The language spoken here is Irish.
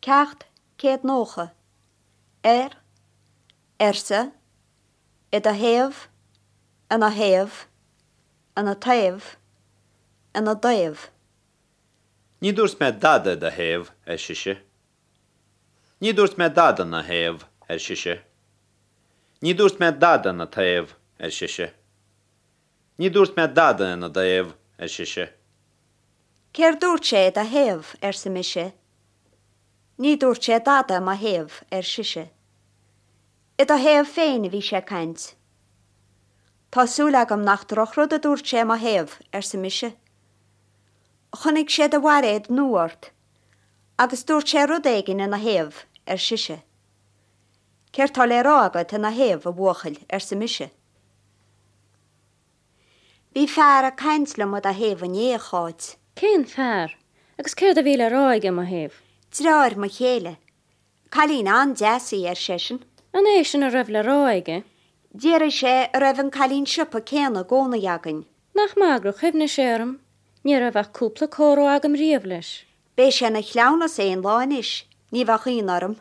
Ceacht 190. Ar, arsa, i do thaobh, ina thaobh, ina taobh, ina dtaobh. Ní dúirt mé dada i do thaobh, ar sise. Ní dúirt mé dada 'na thaobh, ar sise. Ní dúirt mé dada ina taobh, ar sise. Ní dúirt mé dada ina dtaobh, ar sise. Céard dúirt sé i do thaobh, arsa mise. Ní dúirt sé dada i mo thaobh, ar sise. I do thaobh féin a bhí sé ag caint. Tá súil agam nach drochrud a dúirt sé i mo thaobh, arsa mise. Chonaic sé do bhairéad nua ort agus dúirt sé rud éigin ina thaobh, ar sise. Céard tá le rá agat ina thaobh, a bhuachaill, arsa mise. Bhí fear ag caint liom i do thaobh inné, a Cháit. Cén fear? Agus céard a bhí le rá aige i mo thaobh? Deartháir mo chéile. Cailín an-deas í, ar seisean. An é sin a raibh le rá aige? D'fhiafraigh sé an raibh an cailín siopa céanna i gcónaí againn. Nach maith gur chuimhnigh sé orm. Ní raibh ach cúpla comhrá agam riamh leis. Beidh sé ina chleamhnas aon lá anois, ní bheadh ionadh orm.